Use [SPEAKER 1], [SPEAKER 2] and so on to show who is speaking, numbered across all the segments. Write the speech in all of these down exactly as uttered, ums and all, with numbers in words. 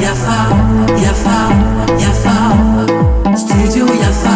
[SPEAKER 1] Yafa, Yafa, Yafa, Studio Yafa.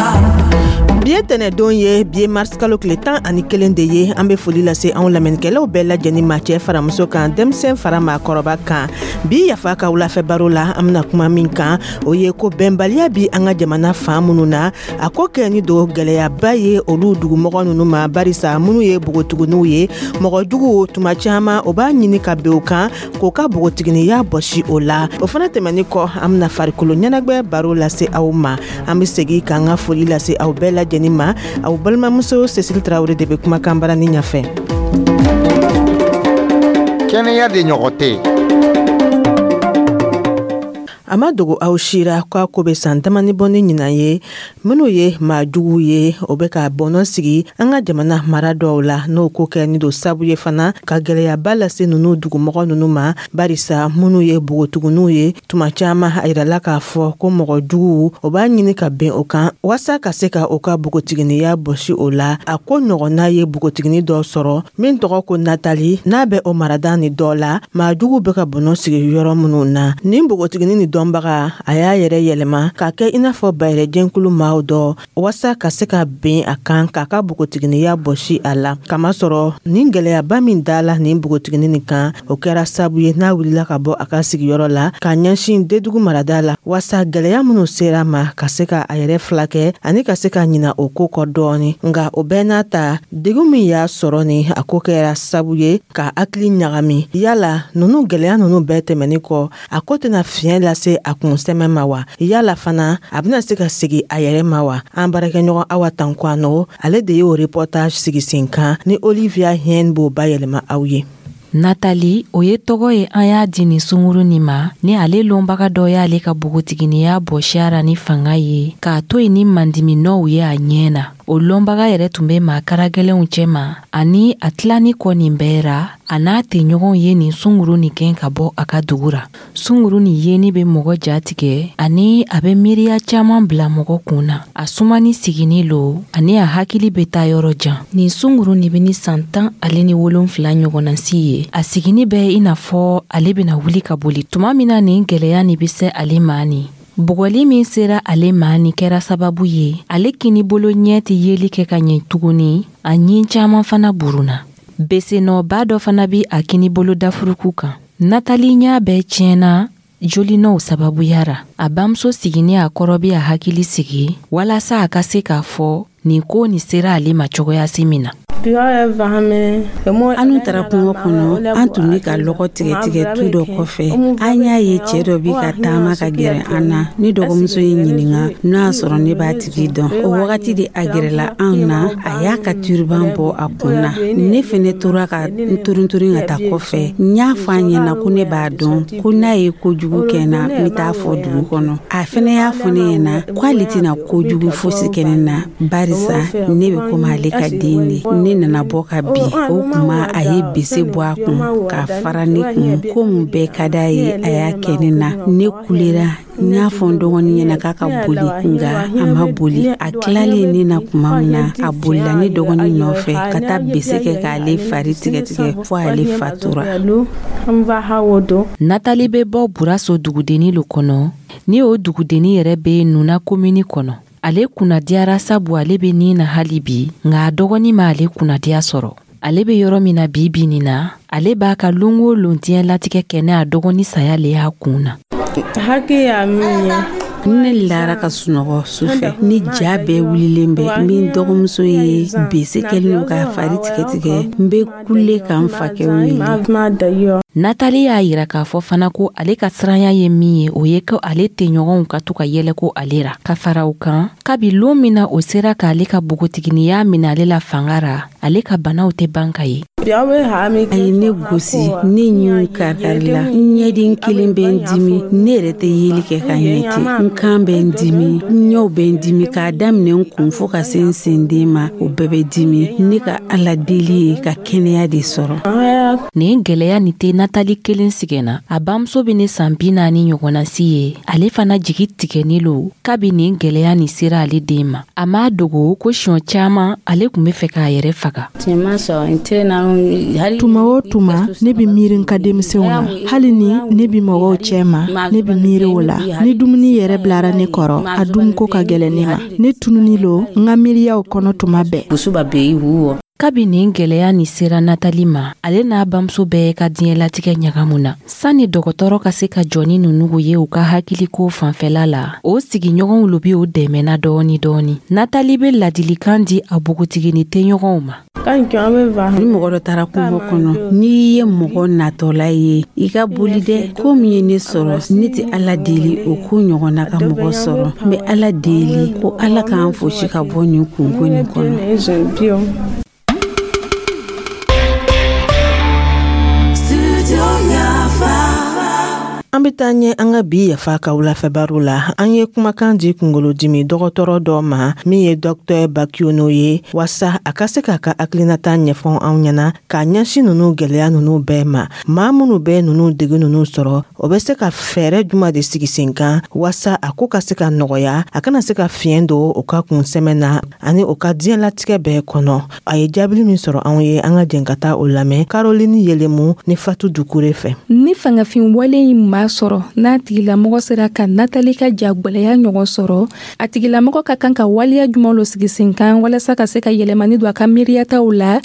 [SPEAKER 2] Bi ye tɛnɛdon ye, bi ye mars kalo tile tan ani kelen de ye. An be foli lase anw lamɛnnikɛlaw bɛɛ lajɛnin ma, cɛɛ fara muso kan, denmisɛn fara maakɔrɔba kan. Bi Yafa ka wulafɛ baro la, an bena kuma min kan, o ye ko bɛnbaliya bi an ka jamana faan minnu na, a ko kɛni don gwɛlɛyaba ye olu dugumɔgɔ nunu ma, barisa minnu ye bogotiginiw ye, mɔgɔ juguw tuma caaman o b'a ɲini ka ben o kan k'o ka bogotiginiya bɔsi o la. O fana tɛmɛni kɔ, an bena farikolo ɲɛnagwɛ baro lase aw ma. An be segi k'an ka foli lase aw bɛɛ lajɛnin ma. Aw balimamuso Cécile Tarawele de bɛ kumakan barani ɲafɛ.
[SPEAKER 3] Kɛnɛya de ɲɔgɔn tɛ.
[SPEAKER 2] A ma dogo aw sira k'a ko bɛ san damani bɔ ni ɲinan ye, minnu ye maa juguw ye, o bɛ ka bɔnɔ sigi an ka jamana mara dɔw la, n'o ko kɛ ni don sabu ye fana ka gwɛlɛyaba lase nunu dugumɔgɔ nunu ma, barisa minnu ye bogotiginiw ye, tuma caaman a yirala k'a fɔ ko mɔgɔ juguw o b'a ɲini ka ben o kan waasa ka se ka o ka bogotiginiya bɔsi o la. A ko ɲɔgɔnna ye bogotigini dɔ sɔrɔ min tɔgɔ ko Natali, n'a bɛ o marada ni dɔ la, maa juguw bɛ ka bɔnɔ sigi yɔrɔ minnu na. Nin bogotigini ni dɔnbaga, a y'a yɛrɛ yɛlɛma k'a kɛ i n'a fɔ bayɛrɛjɛnkulu maaw dɔ waasa ka se ka ben a kan k'a ka bogotiginiya bɔsi a la, kamasɔrɔ nin gwɛlɛyaba min dala nin bogotigini nin kan, o kɛra sabu ye n'a wulila ka bɔ a ka sigiyɔrɔ la ka ɲɛsin Dedugu marada la, waasa gwɛlɛya minnu sera ma, ka se ka a yɛrɛ filakɛ ani ka se ka ɲina o ko kɔ dɔɔni. Nga o bɛɛ n'a ta, degun min y'a sɔrɔ ni a ko kɛra sabu ye ka hakili ɲagami. Yala nunu gwɛlɛya nunu bɛɛ tɛmɛni kɔ, a ko tɛna fiɲɛ lase a kun sɛmɛ ma wa? Yala fana a bɛna se ka segi a yɛrɛ ma wa? An baarakɛɲɔgɔn Awa Tankwano, ale de y'o reportage sigi sen kan ni Olivia Hien b'o bayɛlɛma aw ye.
[SPEAKER 4] Natali, o ye tɔgɔ ye an y'a di nin sunguru nin ma, ni ale lɔnbaga dɔ y'ale ka bogotiginiya bɔsi ra ni fanga ye k'a to yen ni mandiminɔw ye a ɲɛ na. O lɔnbaga yɛrɛ tun bɛ maa karagɛlɛnw cɛma, ani a tilani kɔ nin bɛɛ ra, a n'a tɛɲɔgɔnw ye nin sunguru nin gɛn ka bɔ a ka dugu ra. Sunguru nin yeni bɛ mɔgɔ jatigɛ, ani a bɛ miiriya caaman bila mɔgɔ kun na. A sumani sigini lo, ani a hakili bɛ taa yɔrɔ jan. Nin sunguru nin bɛ ni san tan ale ni wolonfila ɲɔgɔnna si ye. A sigini bɛ i n'a fɔ ale bɛna wuli ka boli tuma min na nin gwɛlɛya nin bɛ se ale ma. Nin bugɔli min sera ale ma nin kɛra sababu ye ale kini bolo ɲɛ tɛ yeli kɛ ka ɲɛ tuguni, a ɲin caaman fana buruna. Besenɔba dɔ fana bi a kini bolo dafuruku kan. Natali ɲa bɛɛ tiɲɛna jolinɔw sababuya ra. A bamuso sigini a kɔrɔ bi a hakili sigi walasa a ka se k'a fɔ nin ko nin sera ale ma cogoyasi min na.
[SPEAKER 5] Anu taara kungo kɔnɔ, an tun bɛ ka lɔgɔ tigɛ tigɛ tu dɔ kɔfɛ. An y'a ye cɛɛ dɔ bi ka taama ka gɛrɛ an na. Ne dɔgɔmuso ye ɲininga n'a y'a sɔrɔ ne b'a tigi dɔn. O wagati de a gɛrɛla anw na, a y'a ka turban bɔ a kun na. Ne fɛnɛ tora ka n turunturun ka taa kɔfɛ. N y'a fɔ a ɲɛna ko ne b'a dɔn, ko n'a ye kojugu kɛ n na, n bɛ taa fɔ dugu kɔnɔ. A fɛnɛ y'a fɔ ne ɲɛna k'ale tɛna kojugu fosi kɛ ne na, barisa ne bɛ komi ale ka den de. Ne nana bɔ ka bin, o kuma a ye bese bɔ a kun k'a fara ne kun. Ko mun bɛɛ ka d'a ye, a y'a kɛ ne na. Ne kulera, n y'a fɔ n dɔgɔnin ɲɛna k'a ka boli, nka a ma boli. A tilalen ne na kuma min na, a bolila ne dɔgɔnin nɔfɛ ka taa bese kɛ k'ale fari tigɛtigɛ fo ale fatura.
[SPEAKER 4] Natali bɛ bɔ Buraso dugudenni lo kɔnɔ, ni o dugudenni yɛrɛ bɛ Nuna komini kɔnɔ. Ale kunnadiyara sabu ale bɛ nin na hali bi, nka a dɔgɔnin ma ale kunnadiya sɔrɔ. Ale bɛ yɔrɔ min na bi bi nin na, ale b'a ka lon o lon diɲɛ latigɛ kɛ ne a dɔgɔnin saya le y'a kun na.
[SPEAKER 5] Hakɛ min ye, ne lara ka sunɔgɔ sufɛ ni ja bɛɛ wulilen bɛ, min dɔgɔmuso ye bese kɛlen don k'a fari tigɛtigɛ, n bɛ kule ka n fakɛ wele.
[SPEAKER 4] Natali y'a yira k'a fɔ fana ko ale ka siranya ye min ye, o ye ko ale tɛɲɔgɔnw ka to ka yɛlɛ ko ale ra. Ka fara o kan, kabi lon min na o sera k'ale ka bogotiginiya minɛ ale la fanga ra, ale ka banaw tɛ ban ka ye.
[SPEAKER 5] A ye ne gosi, ne ɲinw karikarila, n ɲɛden kelen bɛ n dimi, ne yɛrɛ tɛ yeli kɛ ka ɲɛ ten, n kan bɛ n dimi, n ɲɛw bɛ n dimi, k'a daminɛ n kun fo ka se n senden ma, o bɛɛ bɛ dimi. Ne ka Ala deli ye ka kɛnɛya de sɔrɔ.
[SPEAKER 4] Nin gwɛlɛya nin tɛ Natali kelen sigɛnna. A bamuso bɛ ne san bi naani ɲɔgɔnna si ye, ale fana jigi tigɛni lo kabi nin gwɛlɛya nin sera ale den ma. A m'a dogo ko siɲɛ caman ale tun bɛ fɛ k'a yɛrɛ faga.
[SPEAKER 6] Tuma o tuma, ne bɛ miiri n ka denmisɛnw na. Hali ni ne bɛ mɔgɔw cɛ ma, ne bɛ miiri o la. Ni dumuni yɛrɛ bilara ne kɔrɔ, a dunko ka gɛlɛn ne ma. Ne tununi lo n ka miiriyaw kɔnɔ tuma bɛɛ.
[SPEAKER 4] Kabi nin gwɛlɛya nin sera Natali ma, ale n'a bamuso bɛɛ ka diɲɛlatigɛ ɲagamu na. Sanni dɔgɔtɔrɔ ka se ka jɔ ni ninnu ye u ka hakiliko fanfɛla la, o sigiɲɔgɔnw lo bi o dɛmɛna dɔɔni dɔɔni. Natali bɛ ladilikan di a npogotigini tɛɲɔgɔnw ma.
[SPEAKER 5] Ni mɔgɔ dɔ taara kungo kɔnɔ, n'i ye mɔgɔ natɔla ye, i ka boli dɛ. Ko min ye ne sɔrɔ, ne tɛ Ala deli o ko ɲɔgɔnna ka mɔgɔ sɔrɔ. N bɛ Ala deli ko Ala k'an fosi ka bɔ nin kunko nin kɔnɔ.
[SPEAKER 2] An bɛ taa ɲɛ an ka bi Yafa ka wulafɛbaro la. An ye kumakan di kunkolodimi dɔgɔtɔrɔ dɔ ma min ye Docteur Bakiono ye, waasa a ka se k'a ka hakilinata ɲɛfɔ anw ɲɛna k'a ɲɛsin ninnu gwɛlɛya ninnu bɛɛ ma. Maa minnu bɛ ninnu dege ninnu sɔrɔ, o bɛ se ka fɛɛrɛ juma de sigi sen kan waasa a ko ka se ka nɔgɔya, a kana se ka fiɲɛ don o ka kunsɛmɛ na ani o ka diɲɛlatigɛ bɛɛ kɔnɔ. A ye jaabili min sɔrɔ anw ye, an ka jɛn ka taa o lamɛn Caroline Yelemu ni Fatu Dukure fɛ.
[SPEAKER 7] Ni fangafin wale in maa sɔrɔ, n'a tigilamɔgɔ sera ka Natali ka jagwɛlɛya ɲɔgɔn sɔrɔ, a tigilamɔgɔ ka kan ka waleya juman lo sigi sen kan walasa ka se ka yɛlɛmani don a ka miiriyataw la.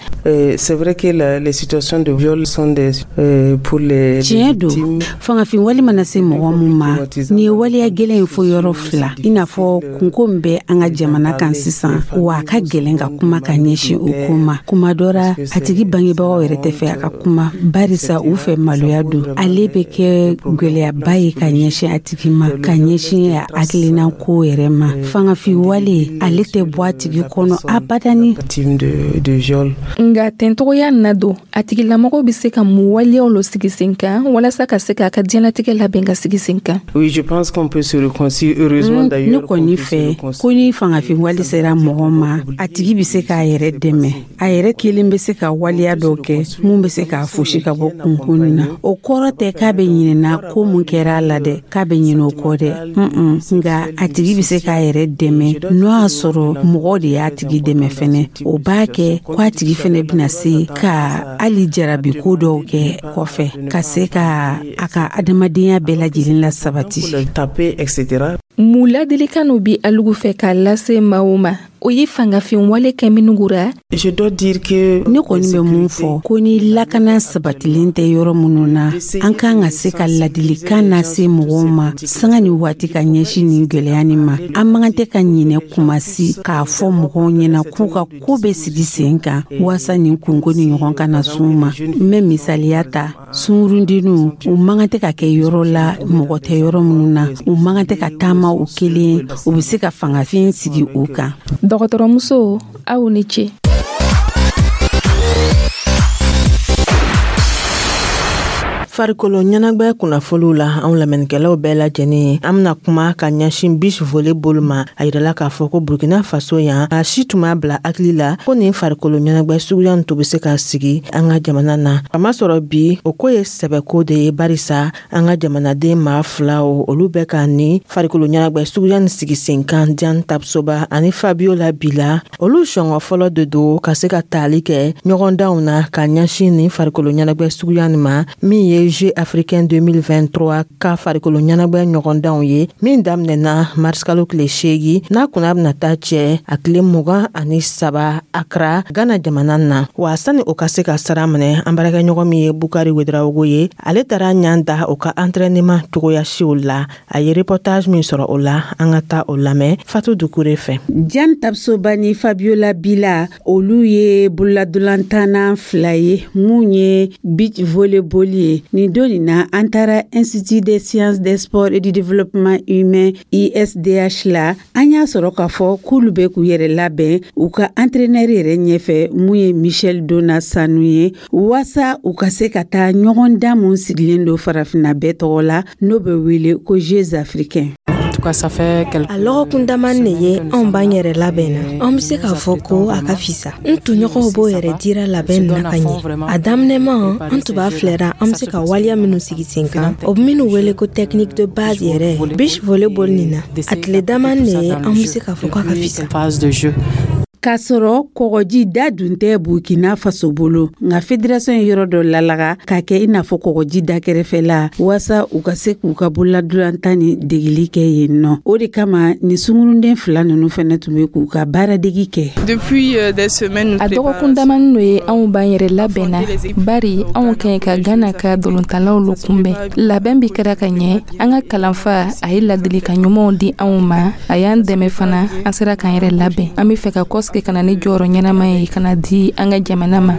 [SPEAKER 8] C'est vrai que la, les situations de viol sont des euh, pour les
[SPEAKER 5] Tiɲɛ don, fangafin wale mana se mɔgɔ mun ma, nin ye waleya gɛlɛn ye fo yɔrɔ fila, i n'a fɔ kunko min bɛ an ka jamana kan sisan, wa a ka gɛlɛn ka kuma ka ɲɛsin o ko ma. Kuma dɔ ra, a tigi bangebagaw yɛrɛ tɛ fɛ a ka kuma, barisa u fɛ maloya don. Ale bɛ kɛ gwɛlɛyaba ye ka ɲɛsin a tigi ma, ka ɲɛsin a hakilina ko yɛrɛ ma. Fangafin wale, ale tɛ bɔ a tigi kɔnɔ abadani.
[SPEAKER 7] Nka tɛntogoya na don, a tigilamɔgɔ bɛ se ka mun waleyaw lo sigi sen kan walasa ka se k'a ka diɲɛlatigɛ labɛn ka sigi sen kan?
[SPEAKER 8] Oui, je pense qu'on peut se réconcilier, heureusement d'ailleurs.
[SPEAKER 5] Ne kɔni fɛ ko ni fangafin wale sera mɔgɔ ma, a tigi bɛ se k'a yɛrɛ dɛmɛ. A yɛrɛ kelen bɛ se ka waleya dɔw kɛ mun bɛ se k'a fosi ka bɔ kunkun na. O kɔrɔ tɛ k'a bɛ ɲinɛna ko mun kɛra a la dɛ, k'a bɛ ɲinɛ o kɔ dɛ. Nka a tigi bɛ se k'a yɛrɛ dɛmɛ, n'o y'a sɔrɔ mɔgɔ de y'a tigi dɛmɛ fɛnɛ. O b'a kɛ ko a tigi fɛnɛ bɛna se ka hali jarabi ko dɔw kɛ kɔfɛ, ka se ka a ka adamadenya bɛɛ lajɛlen la sabati.
[SPEAKER 7] Mun ladilikan n'o bi alugu fɛ k'a lase maaw ma, o ye fangafin wale kɛ minnu ra?
[SPEAKER 5] Ne kɔni bɛ mun fɔ, ko ni lakana sabatilen tɛ yɔrɔ minnu na, an kan ka se ka ladilikan lase mɔgɔw ma sanga ni waati ka ɲɛsin nin gwɛlɛya nin ma. An man kan tɛ ka ɲinɛ kuma si k'a fɔ mɔgɔw ɲɛna k'u ka ko bɛ sigi sen kan waasa nin kunko ni ɲɔgɔn kana s'u ma. N bɛ misaliya ta, sunkurundenninw, u man kan tɛ ka kɛ yɔrɔ la mɔgɔ tɛ yɔrɔ minnu na. U man kan tɛ ka taama u kelen, u bɛ se ka fangafin sigi u kan.
[SPEAKER 7] Dɔgɔtɔrɔmuso, aw ni ce.
[SPEAKER 2] Farikolo ɲɛnagwɛ kunnafoliw la, anw lamɛnnikɛlaw bɛɛ lajɛlen, an bena kuma ka ɲɛsin beach volleyball ma. A yirala k'a fɔ ko Burkina Faso yan, a si tun b'a bila hakili la ko nin farikolo ɲɛnagwɛ suguya nin to be se ka sigi an ka jamana na. A ma sɔrɔ bi, o ko ye sɛbɛko de ye, barisa an ka jamanaden maa fila o, olu bɛ ka nin farikolo ɲɛnagwɛ suguya nin sigi sen kan, Diane Tapsoba ani Fabiola Bila. Olu sɔngɔ fɔlɔ de don ka se ka taali kɛ ɲɔgɔndanw na ka ɲɛsin nin farikolo ɲɛnagwɛ suguya nin ma, min ye Jeux africains deux mille vingt-trois ka farikolo ɲɛnagwɛ ɲɔgɔndanw ye, min daminɛna marisikalo tile seegin n'a kunna bɛna taa cɛ a tile mugan ani saba Accra, Ghana jamana na. Wa sani o ka se ka sara minɛ, an baarakɛɲɔgɔn min ye Bukari Wedarawogo ye, ale taara ɲan da o ka entraînement cogoya siw la. A ye reportage min sɔrɔ o la, an ka taa o lamɛn Fatu Dukure fɛ.
[SPEAKER 5] Diane Tapsoba ni Fabiola Bila, olu ye bololadolantanna fila ye mun ye beach volleyball ye. Nin don nin na, an taara Institut des sciences des sports et du développement humain I S D H la. An y'a sɔrɔ k'a fɔ k'olu bɛ k'u yɛrɛ labɛn u ka entraîneur yɛrɛ ɲɛfɛ mun ye Michel Dona Sanu ye, waasa u ka se ka taa ɲɔgɔndan mun sigilen don farafinna bɛɛ tɔgɔ la, n'o bɛ wele ko Jeux africains.
[SPEAKER 9] A lɔgɔkun damani de ye anw b'an yɛrɛ labɛn na. An bɛ se k'a fɔ ko a ka fisa. N tɔɲɔgɔnw b'o yɛrɛ dira labɛn na ka ɲɛ. A daminɛma, an tun b'a filɛra an bɛ se ka waleya minnu sigi sen kan, o bɛ minnu wele ko technique de base yɛrɛ beach volleyball nin na. A tile damani de ye, an bɛ se k'a fɔ k'a ka fisa.
[SPEAKER 5] K'a sɔrɔ kɔgɔji da dun tɛ Burkina Faso bolo, nka fédération ye yɔrɔ dɔ lalaga k'a kɛ i n'a fɔ kɔgɔji da kɛrɛfɛla, waasa u ka se k'u ka bololadolantan ni degeli kɛ yen nɔ. O de kama nin sungurunden fila nunu fɛnɛ tun bɛ k'u ka baaradegi kɛ.
[SPEAKER 7] A dɔgɔkun damani no ye, anw b'an yɛrɛ labɛn na, bari anw ka ɲi ka Gana ka dolontalaw lo kunbɛn. Labɛn bi kɛra ka ɲɛ. An ka kalanfa, a ye ladilikan ɲumanw di anw ma, a y'an dɛmɛ fana, an sera k'an yɛrɛ labɛn. An be fɛ ka kɔsigi ka na ni jɔyɔrɔ ɲɛnama ye ka na di an ka jamana ma.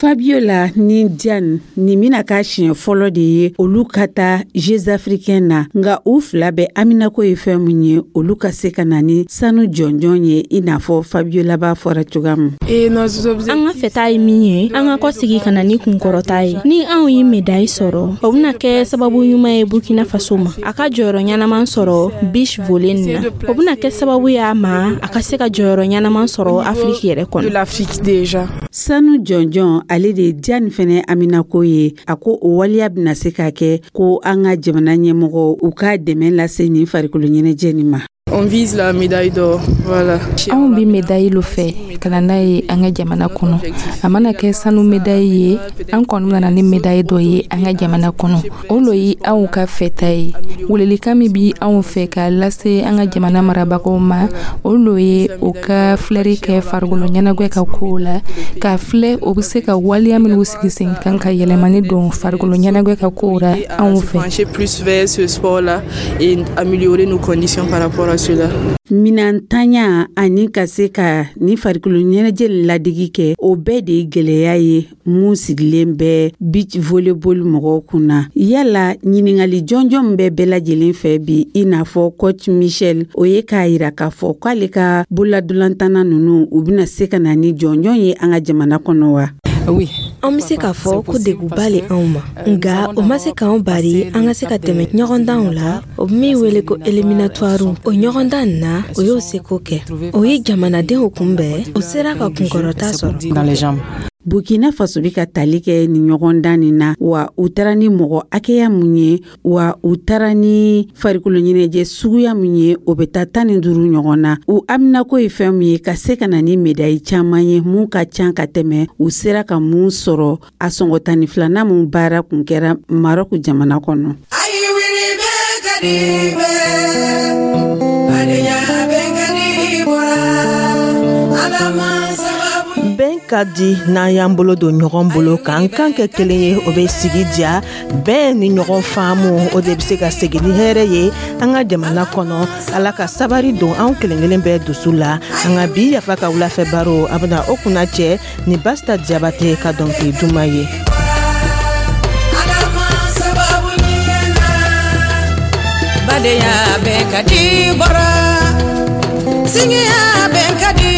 [SPEAKER 5] Fabiola ni Diane, nin bɛna k'a siɲɛ fɔlɔ de ye olu ka taa Jeux africains na, nka u fila bɛɛ haminako ye fɛn mun ye, olu ka se ka na ni sanu jɔnjɔn ye, i n'a fɔ Fabiola b'a fɔra cogoya min.
[SPEAKER 10] An ka fɛta ye min ye, an ka kɔsigi ka na ni kunkɔrɔta ye. Ni anw ye médaille sɔrɔ, o bɛna kɛ sababu ɲuman ye Burkina Faso ma, a ka jɔyɔrɔ ɲɛnaman sɔrɔ beach volley nin na. O bɛna kɛ sababu y'a ma, a ka se ka jɔyɔrɔ ɲɛnaman sɔrɔ Afiriki yɛrɛ kɔnɔ.
[SPEAKER 5] Sanu jɔnjɔn, ale de ye Diane fɛnɛ haminako ye. A ko o waleya bɛna se ka kɛ ko an ka jamana ɲɛmɔgɔ u ka dɛmɛ lase nin farikolo ɲɛnajɛ nin ma.
[SPEAKER 8] On vise la médaille d'or. Voilà.
[SPEAKER 7] Anw bi médaille lo fɛ ka na n'a ye an ka jamana kɔnɔ. A mana kɛ sanu médaille ye, an kɔni nana ni médaille dɔ ye an ka jamana kɔnɔ, o lo ye anw ka fɛta ye. Welelikan min bi anw fɛ k'a lase an ka jamana marabagaw ma, o lo ye o ka filɛri kɛ farikolo ɲɛnajɛ ka kow la, k'a filɛ o be se ka waleya minw sigi sen kan ka yɛlɛmani don farikolo ɲɛnajɛ ka kow la anw fɛ.
[SPEAKER 8] Plus vers ce sport-là et améliorer nos conditions par rapport à cela.
[SPEAKER 5] Minantanya ani ka se ka ni farikolo ɲɛnajɛ ladegi kɛ, o bɛɛ de ye gwɛlɛya ye mun sigilen bɛ beach volleyball mɔgɔw kunna. Yala ɲiningali jɔnjɔn min bɛ bɛɛ lajɛlen fɛ bi, i n'a fɔ coach Michel, o ye k'a yira k'a fɔ k'ale ka bololadolantanna nunu, u bɛna se ka na ni jɔnjɔn ye an ka jamana kɔnɔ wa?
[SPEAKER 9] An bɛ se k'a fɔ ko degunba le anw ma, nka o ma se k'anw bari an ka se ka tɛmɛ ɲɔgɔndanw la, o bɛ min wele ko éliminatoire. O ɲɔgɔndan nin na, o y'o seko kɛ, o ye jamanadenw kunbɛn, o sera ka kunkɔrɔta sɔrɔ.
[SPEAKER 5] Burkina Faso bɛ ka tali kɛ nin ɲɔgɔndan nin na wa, u taara ni mɔgɔ hakɛya mun ye wa, u taara ni farikolo ɲɛnajɛ suguya mun ye, o bɛ taa tan ni duuru ɲɔgɔn na. U haminako ye fɛn min ye, ka se ka na ni médaille caman ye mun ka ca ka tɛmɛ u sera ka mun sɔrɔ a sɔngɔ tan ni filanan mun baara kun kɛra Marɔku jamana kɔnɔ.
[SPEAKER 1] Ayi wuli bɛ ka di bɛɛ, badenya bɛ ka di bɔra Ala ma sababu.
[SPEAKER 2] Bɛn ka di n'an y'an bolo don ɲɔgɔn bolo k'an kan kɛ kelen ye, o bɛ sigi diya. Bɛn ni ɲɔgɔn faamu, o de bɛ se ka segin ni hɛrɛ ye an ka jamana kɔnɔ. Ala ka sabari don anw kelen kelen bɛɛ dusu la. An ka bi Yafa ka wulafɛ baro, a bɛna o kunna cɛ ni Basita Jabate ka dɔnkili duman ye.
[SPEAKER 1] Ala ma sababu ɲuman na, badenya bɛ ka di bɔra, sinjiya bɛ ka di.